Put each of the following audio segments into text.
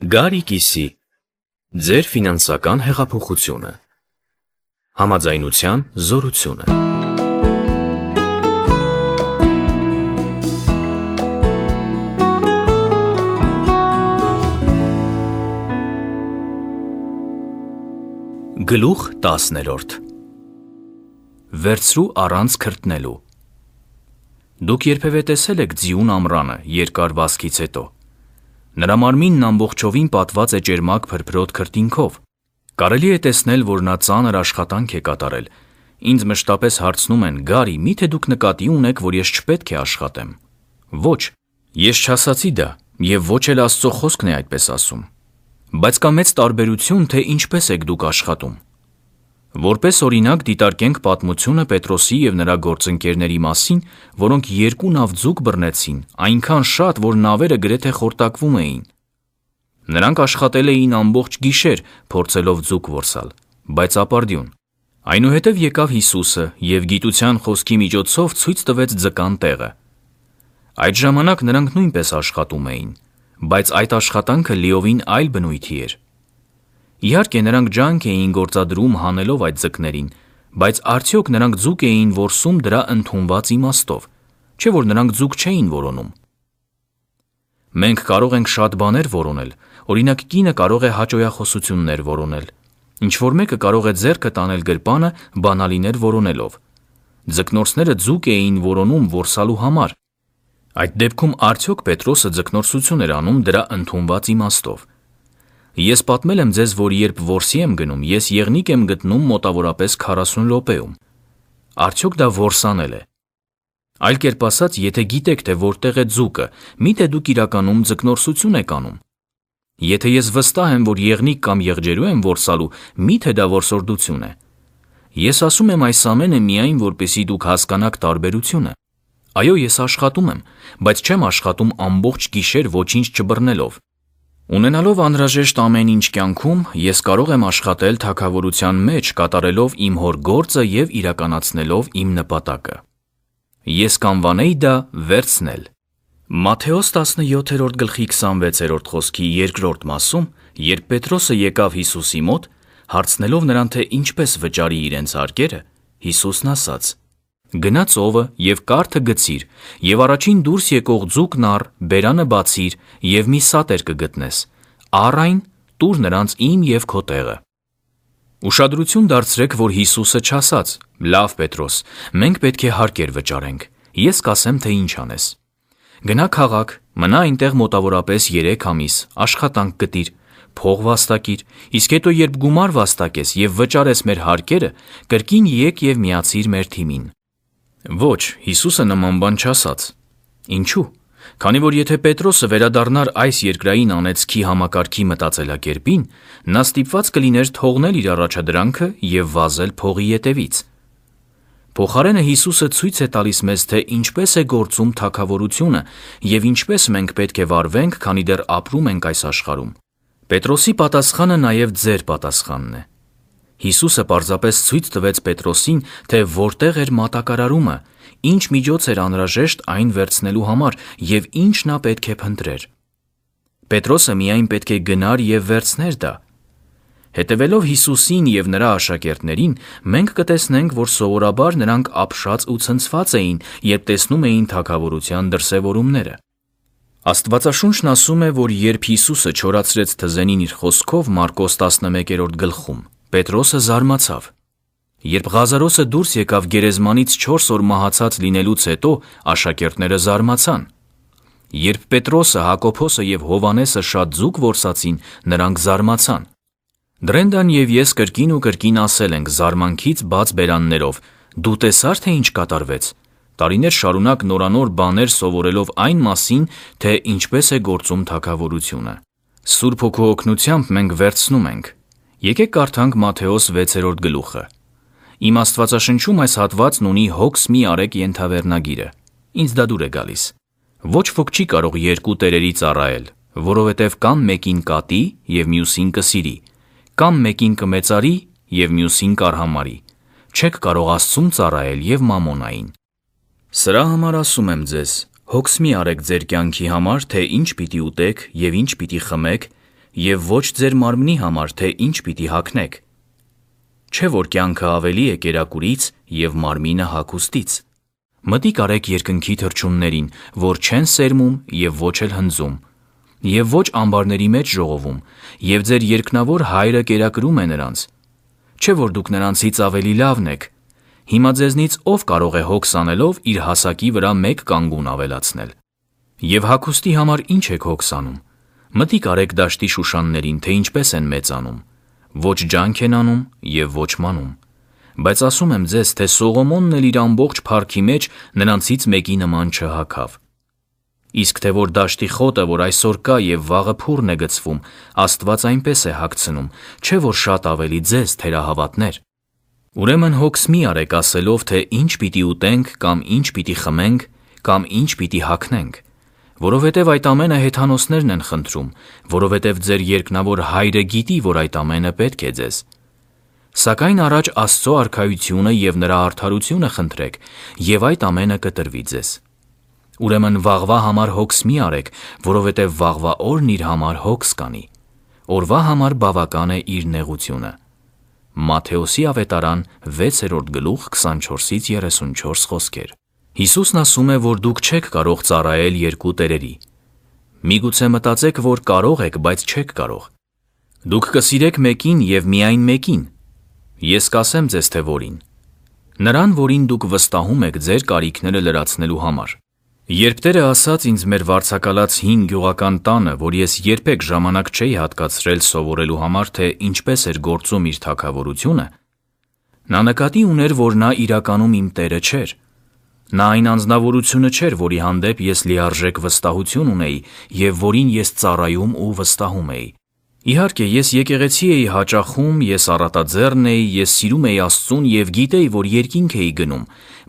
Գարի կիսի, ձեր ֆինանսական հեղափոխությունը, համաձայնության զորությունը։ Գլուխ 10. Վերցրու առանց քրտնելու։ Դուք երբևէ տեսել եք ձիուն ամռանը երկար վազքից հետո։ Նրա մարմինն ամբողջովին պատված է ճերմակ փրփրոտ քրտինքով։ Կարելի է տեսնել, որ նա ծանր աշխատանք է կատարել։ Ինձ մշտապես հարցնում են՝ Գարի, միթե դուք նկատի ունեք, որ ես չպետք է աշխատեմ։ Ոչ, ես չասացի դա, եւ ոչ էլ Աստծո խոսքն է այդպես ասում։ Բայց կա մեծ տարբերություն, թե ինչպես եք դուք աշխատում։ Որպես օրինակ դիտարկենք պատմությունը Պետրոսի եւ նրա գործընկերների մասին, որոնք 2 նավ ձուկ բռնեցին, այնքան շատ, որ նավերը գրեթե խորտակվում էին։ Նրանք աշխատել էին ամբողջ գիշեր, փորձելով ձուկ որսալ, բայց ապարդյուն։ Այնուհետև եկավ Հիսուսը եւ գիտության խոսքի միջոցով ցույց տվեց ձկան տեղը։ Այդ ժամանակ նրանք նույնպես աշխատում էին, բայց այդ աշխատանքը լիովին այլ բնույթի էր։ Իհարկե նրանք ջանք էին գործադրում հանելով այդ ձկներին, բայց արդյոք նրանք ձուկ էին որսում դրա ընդունված իմաստով, չէ՞ որ նրանք ձուկ չէին որոնում։ Մենք կարող ենք շատ բաներ որոնել, օրինակ կինը կարող է հաճոյախոսություններ որոնել, ինչ-որ մեկը կարող է ձեռքը տանել գրպանը բանալիներ որոնելով։ Ձկնորսները ձուկ էին որոնում որսալու համար։ Այդ դեպքում արդյոք Պետրոսը ձկնորսություն էր անում դրա ընդունված իմաստով։ Ես պատմել եմ ձեզ, որ երբ որսի եմ գնում, ես եղնիկ եմ գտնում մոտավորապես 40 րոպեում։ Արդյոք դա որսանել է։ Այլ կերպ ասած, եթե գիտեք, թե որտեղ է ձուկը, միթե դուք իրականում ձկնորսություն եք անում։ Եթե ես վստահ եմ, որ եղնիկ կամ եղջերու եմ որսալու, միթե դա որսորդություն է։ Ես ասում եմ այս ամենը միայն, որպեսզի դուք հասկանաք տարբերությունը։ Այո, ես աշխատում եմ, բայց չեմ աշխատում ամբողջ գիշեր ոչինչ չբռնելով։ Ունենալով անհրաժեշտ ամեն ինչ կյանքում, ես կարող եմ աշխատել թագավորության մեջ, կատարելով իմ հոր գործը եւ իրականացնելով իմ նպատակը։ Ես կանվանեի դա վերցնել։ Մատթեոս 17:26 խոսքի 2-րդ մասում, երբ Պետրոսը եկավ Հիսուսի մոտ, հարցնելով նրան, թե ինչպես վճարի իրենց հարկերը, Հիսուսն ասաց. Գնա ծովը եւ կարթը գցիր, եւ առաջին դուրս եկող ձուկն առ, բերանը բացիր եւ մի սատեր կգտնես։ Առ այն տուր նրանց իմ եւ քո տեղը։ Ուշադրություն դարձրեք, որ Հիսուսը չասաց. Լավ Պետրոս, մենք պետք է հարկեր վճարենք։ Ես կասեմ, թե ինչ անես։ Գնա քաղաք, մնա այնտեղ մոտավորապես 3 ամիս, աշխատանք գտիր, փող վաստակիր, իսկ հետո երբ գումար վաստակես եւ վճարես մեր հարկերը, կրկին եկ եւ միացիր մեր թիմին։ Ոչ, Հիսուսը նման բան չասաց։ Ինչու՞։ Քանի որ եթե Պետրոսը վերադառնար այս երկրային անեծքի համակարգի մտածելակերպին, նա ստիպված կլիներ թողնել իր առաջադրանքը եւ վազել փողի ետևից։ Փոխարենը Հիսուսը ցույց է տալիս մեզ, թե ինչպես է գործում թագավորությունը եւ ինչպես մենք պետք է վարվենք, քանի դեռ ապրում ենք այս աշխարհում։ Պետրոսի պատասխանը նաեւ ձեր պատասխանն է։ Հիսուսը պարզապես ցույց տվեց Պետրոսին, թե որտեղ էր մատակարարումը, ինչ միջոց էր անհրաժեշտ այն վերցնելու համար եւ ինչ նա պետք է փնտրեր։ Պետրոսը միայն պետք է գնար եւ վերցներ դա։ Հետևելով Հիսուսին եւ նրա աշակերտներին, մենք կտեսնենք, որ սովորաբար նրանք ապշած ու ցնցված էին, երբ տեսնում էին թագավորության դրսևորումները։ Աստվածաշունչն ասում է, որ երբ Հիսուսը չորացրեց թզենին իր խոսքով Մարկոս 11-րդ գլխում, Պետրոսը զարմացավ։ Երբ Ղազարոսը դուրս եկավ գերեզմանից 4 օր մահացած լինելուց հետո, աշակերտները զարմացան։ Երբ Պետրոսը, Հակոբոսը եւ Հովանեսը շատ ձուկ որսացին, նրանք զարմացան։ Դրենդան եւ ես կրկին ու կրկին ասել ենք զարմանքից բաց բերաններով. դու տեսար, թե ինչ կատարվեց։ Տարիներ շարունակ նորանոր բաներ սովորելով այն մասին, թե ինչպես է գործում թագավորությունը։ Սուրբ Հոգու օգնությամբ մենք վերցնում ենք։ Եկեք կարդանք Մատթեոս 6-րդ գլուխը։ Իմ Աստվածաշնչում այս հատվածն ունի հոգս մի արեք ենթավերնագիրը։ Ինձ դա դուր է գալիս։ Ոչ ոք չի կարող 2 տերերի ծառայել, որովհետև կամ մեկին կատի եւ մյուսին կսիրի, կամ մեկին կմեծարի եւ մյուսին կարհամարի։ Չեք կարող Աստծուն ծառայել եւ մամոնային։ Սրա համար ասում եմ ձեզ, հոգս մի արեք ձեր կյանքի համար, թե ինչ պիտի ուտեք եւ ինչ պիտի խմեք, եւ ոչ ձեր մարմնի համար, թե ինչ պիտի հագնեք։ Չէ՞ որ կյանքը ավելի է կերակուրից եւ մարմինը հագուստից։ Մտիկ արեք երկնքի թռչուններին, որ չեն սերմում եւ ոչ էլ հնձում, եւ ոչ ամբարների մեջ ժողովում, եւ ձեր երկնավոր Հայրը կերակրում է նրանց։ Չէ՞ որ դուք նրանցից ավելի լավն եք։ Հիմա ձեզնից ով կարող է հոգս անելով իր հասակի վրա մեկ կանգուն ավելացնել։ Եվ հագուստի համար ինչ եք հոգս անում։ Մտիկ արեք դաշտի շուշաններին, թե ինչպես են մեծանում։ Ոչ ջանք են անում եւ ոչ մանում։ Բայց ասում եմ ձեզ, թե Սողոմոնն էլ իր ամբողջ փառքի մեջ նրանցից մեկի նման չհագավ։ Իսկ թե որ դաշտի խոտը, որ այսօր կա եւ վաղը փուռն է գցվում, Աստված այնպես է հագցնում, չէ՞ որ շատ ավելի ձեզ թերահավատներ։ Ուրեմն հոգս մի արեք ասելով, թե ինչ պիտի ուտենք կամ ինչ պիտի խմենք կամ ինչ պիտի հագնենք, որովհետև այդ ամենը հեթանոսներն են խնդրում, որովհետև ձեր երկնավոր Հայրը գիտի, որ այդ ամենը պետք է ձեզ։ Սակայն առաջ Աստծո արքայությունը եւ նրա արդարությունը խնդրեք, եւ այդ ամենը կտրվի ձեզ։ Ուրեմն վաղվա համար հոգս մի արեք, որովհետև վաղվա օրն իր համար հոգս կանի։ Օրվա համար բավական է իր նեղությունը։ Մատթեոսի ավետարան 6:24-34 խոսքեր։ Հիսուսն ասում է, որ դուք չեք կարող ծառայել երկու տերերի։ Միգուցե մտածեք, որ կարող եք, բայց չեք կարող։ Դուք կսիրեք մեկին եւ միայն մեկին։ Ես կասեմ ձեզ, թե որին։ Նրան, որին դուք վստահում եք ձեր կարիքները լրացնելու համար։ Երբ Տերը ասաց ինձ մեր վարձակալած 5 գյուղական տանը, որ ես երբեք ժամանակ չէի հատկացրել սովորելու համար, թե ինչպես էր գործում իր թագավորությունը, նա նկատի ուներ, որ նա իրականում իմ Տերը չէր։ Նա այն անձնավորությունը չէր, որի հանդեպ ես լիարժեք վստահություն ունեի եւ որին ես ծառայում ու վստահում էի։ Իհարկե, ես եկեղեցի էի հաճախում, ես առատաձեռն էի, ես սիրում էի Աստծուն եւ գիտեի, որ երկինք էի գնում,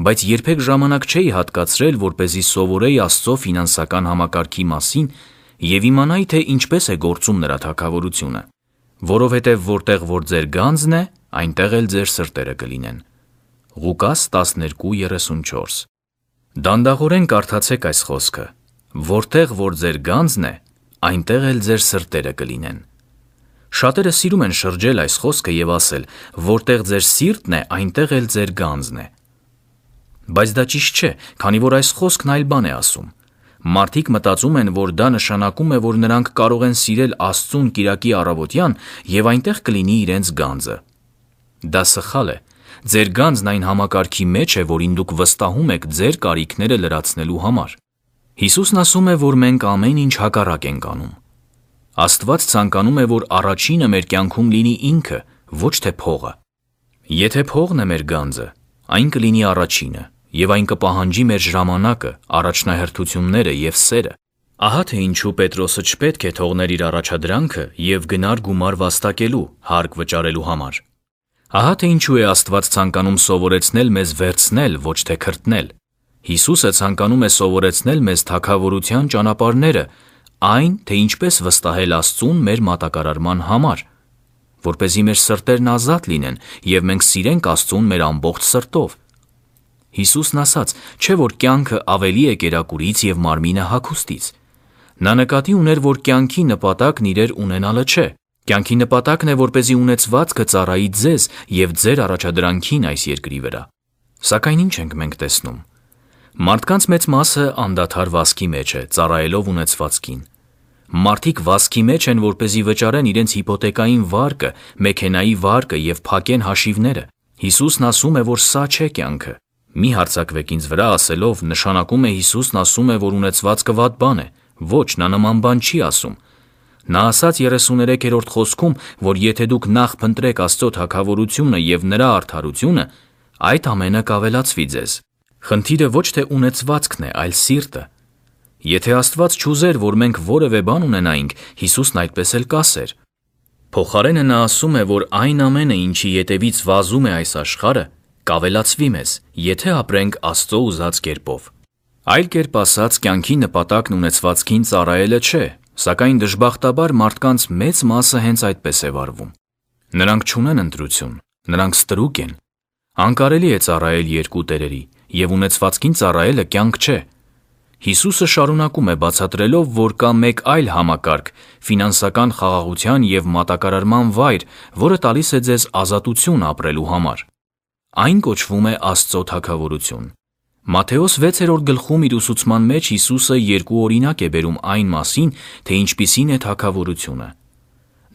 բայց երբեք ժամանակ չէի հատկացրել, որպեսզի սովորեի Աստծո ֆինանսական համակարգի մասին եւ իմանայի, թե ինչպես է գործում նրա թագավորությունը, որովհետեւ որտեղ որ ձեր գանձն է, այնտեղ էլ ձեր սրտերը կլինեն։ Ղուկաս 12:34։ Դանդաղորեն կարդացեք այս խոսքը. որտեղ որ ձեր գանձն է, այնտեղ էլ ձեր սրտերը կլինեն։ Շատերը սիրում են շրջել այս խոսքը եւ ասել, որտեղ ձեր սիրտն է, այնտեղ էլ ձեր գանձն է։ Բայց դա ճիշտ չէ, քանի որ այս խոսքն այլ բան է ասում։ Մարդիկ մտածում են, որ դա նշանակում է, որ նրանք կարող են սիրել Աստծուն կիրակի առավոտյան եւ այնտեղ կլինի իրենց գանձը։ Դա սխալ է։ Ձեր գանձն այն համակարգի մեջ է, որին դուք վստահում եք ձեր կարիքները լրացնելու համար։ Հիսուսն ասում է, որ մենք ամեն ինչ հակառակ ենք անում։ Աստված ցանկանում է, որ առաջինը մեր կյանքում լինի ինքը, ոչ թե փողը։ Եթե փողն է մեր գանձը, այն կլինի առաջինը, եւ այն կպահանջի մեր ժամանակը, առաջնահերթությունները եւ սերը։ Ահա թե ինչու Պետրոսը չպետք է թողներ իր առաջադրանքը եւ գնար գումար վաստակելու, հարկ վճարելու համար։ Ահա թե ինչու է Աստված ցանկանում սովորեցնել մեզ վերցնել, ոչ թե քրտնել։ Հիսուսը ցանկանում է սովորեցնել մեզ թագավորության ճանապարհները, այն, թե ինչպես վստահել Աստծուն մեր մատակարարման համար, որպեսզի մեր սրտերն ազատ լինեն եւ մենք սիրենք Աստծուն մեր ամբողջ սրտով։ Հիսուսն ասաց, չէ՞ որ կյանքը ավելի է կերակուրից եւ մարմինը հագուստից։ Նա նկատի ուներ, որ կյանքի նպատակն իրեր ունենալը չէ։ Կյանքի նպատակն է, որպեսզի ունեցվածքը ծառայի ձեզ եւ ձեր առաջադրանքին այս երկրի վրա։ Սակայն ինչ ենք մենք տեսնում։ Մարդկանց մեծ մասը անդադար վասկի մեջ է, ծառայելով ունեցվածքին։ Մարդիկ վասկի մեջ են, որպեսզի վճարեն իրենց հիպոթեկային վարկը, մեքենայի վարկը եւ փակեն հաշիվները։ Հիսուսն ասում է, որ սա չէ կյանքը։ Մի հարձակվեք ինձ վրա ասելով, նշանակում է Հիսուսն ասում է, որ ունեցվածքը վատ բան է։ Ոչ, նա նման բան չի ասում։ Նա ասաց 33-րդ խոսքում, որ եթե դուք նախ փնտրեք Աստծո թագավորությունը եւ նրա արդարությունը, այդ ամենը կավելացվի ձեզ։ Խնդիրը ոչ թե ունեցվածքն է, այլ սիրտը։ Եթե Աստված չուզեր, որ մենք որևէ բան ունենայինք, Հիսուսն այդպես էլ կասեր։ Փոխարենը նա ասում է, որ այն ամենը, ինչի ետևից վազում է այս աշխարհը, կավելացվի մեզ, եթե ապրենք Աստծո ուզած կերպով։ Այլ կերպ ասած, կյանքի նպատակն ունեցվածքին ծառայելը չէ, սակայն դժբախտաբար մարդկանց մեծ մասը հենց այդպես է վարվում։ Նրանք չունեն ընտրություն, նրանք ստրուկ են։ Անկարելի է ծառայել երկու տերերի, եւ ունեցվածքին ծառայելը կյանք չէ։ Հիսուսը շարունակում է բացատրելով, որ կա մեկ այլ համակարգ, ֆինանսական խաղաղության և մատակարարման վայր, որը տալիս է ձեզ ազատություն ապրելու համար։ Այն կոչվում է Աստծո թագավորություն։ Մատթեոս 6-րդ գլխում իր ուսուցման մեջ Հիսուսը երկու օրինակ է բերում այն մասին, թե ինչպիսին է թագավորությունը։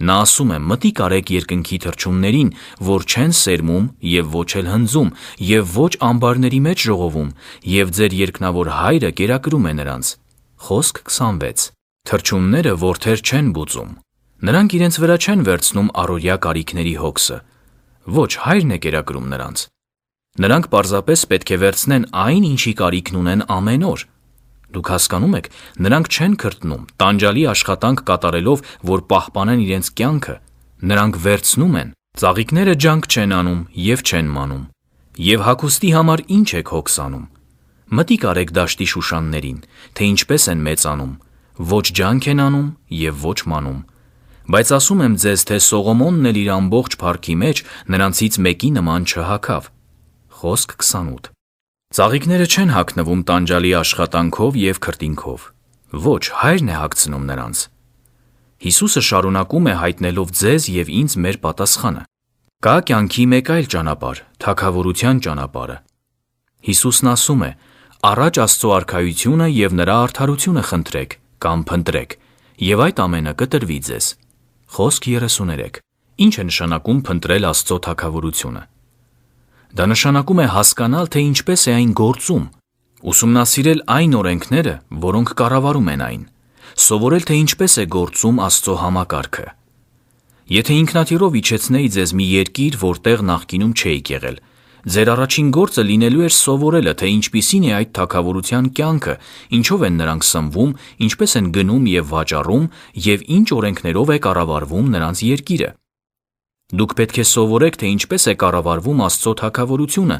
Նա ասում է. «Մտիկ արեք երկնքի թռչուններին, որ չեն սերմում և ոչ էլ հնձում և ոչ ամբարների մեջ ժողովում, և ձեր երկնավոր Հայրը կերակրում է նրանց»։ Խոսք 26։ Թռչունները որդեր չեն բուծում։ Նրանք իրենց վրա չեն վերցնում առօրյա կարիքների հոգսը։ Ոչ, Հայրն է կերակրում նրանց։ Նրանք պարզապես պետք է վերցնեն այն, ինչի կարիքն ունեն ամեն օր։ Դուք հասկանում եք, նրանք չեն քրտնում, տանջալի աշխատանք կատարելով, որ պահպանեն իրենց կյանքը։ Նրանք վերցնում են։ Ծաղիկները ջանք չեն անում և չեն մանում։ Եվ հագուստի համար ինչ եք հոգս անում։ Մտիկ արեք դաշտի շուշաններին, թե ինչպես են մեծանում, ոչ ջանք են անում և ոչ մանում։ Բայց ասում եմ ձեզ, թե Սողոմոնն էլ իր ամբողջ փառքի մեջ նրանցից մեկի նման չհագավ։ Խոսք 28։ Ծաղիկները չեն հագնվում տանջալի աշխատանքով և քրտինքով։ Ոչ, Հայրն է հագցնում նրանց։ Հիսուսը շարունակում է հայտնելով ձեզ և ինձ մեր պատասխանը։ Կա կյանքի մեկ այլ ճանապարհ, թագավորության ճանապարհը։ Հիսուսն ասում է. «Առաջ Աստծո արքայությունը և նրա արդարությունը խնդրեք կամ փնտրեք, և այդ ամենը կտրվի ձեզ»։ Խոսք 33։ Ինչ է նշանակում փնտրել Աստծո թագավորությունը։ Դա նշանակում է հասկանալ, թե ինչպես է այն գործում, ուսումնասիրել այն օրենքները, որոնք կառավարում են այն, սովորել, թե ինչպես է գործում Աստծո համակարգը։ Եթե ինքնաթիռով իջեցնեի ձեզ մի երկիր, որտեղ նախկինում չէիք եղել, ձեր առաջին գործը լինելու էր սովորելը, թե ինչպիսին է այդ թագավորության կյանքը, ինչով են նրանք սնվում, ինչպես են գնում և վաճառում և ինչ օրենքներով է կառավարվում նրանց երկիրը։ Դուք պետք է սովորեք, թե ինչպես է կառավարվում Աստծո թագավորությունը,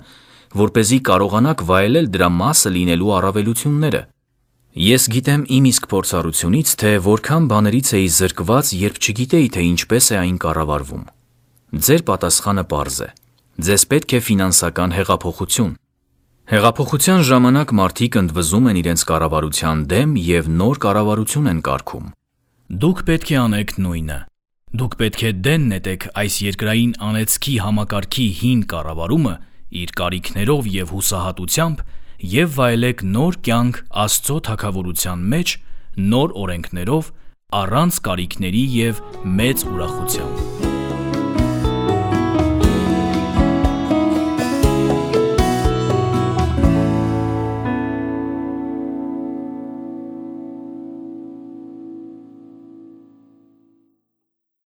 որպեսզի կարողանաք վայելել դրա մասը լինելու առավելությունները։ Ես գիտեմ իմ իսկ փորձառությունից, թե որքան բաներից էի զրկված, երբ չգիտեի, թե ինչպես է այն կառավարվում։ Ձեր պատասխանը պարզ է։ Ձեզ պետք է ֆինանսական հեղափոխություն։ Հեղափոխության ժամանակ մարդիկ ընդվզում են իրենց կառավարության դեմ և նոր կառավարություն են կարգում։ Դուք պետք է անեք նույնը։ Դուք պետք է դեն նետեք այս երկրային անեծքի համակարգի հին կառավարումը իր կարիքներով և հուսահատությամբ և վայելեք նոր կյանք Աստծո թագավորության մեջ նոր օրենքներով, առանց կարիքների և մեծ ուրախությամբ։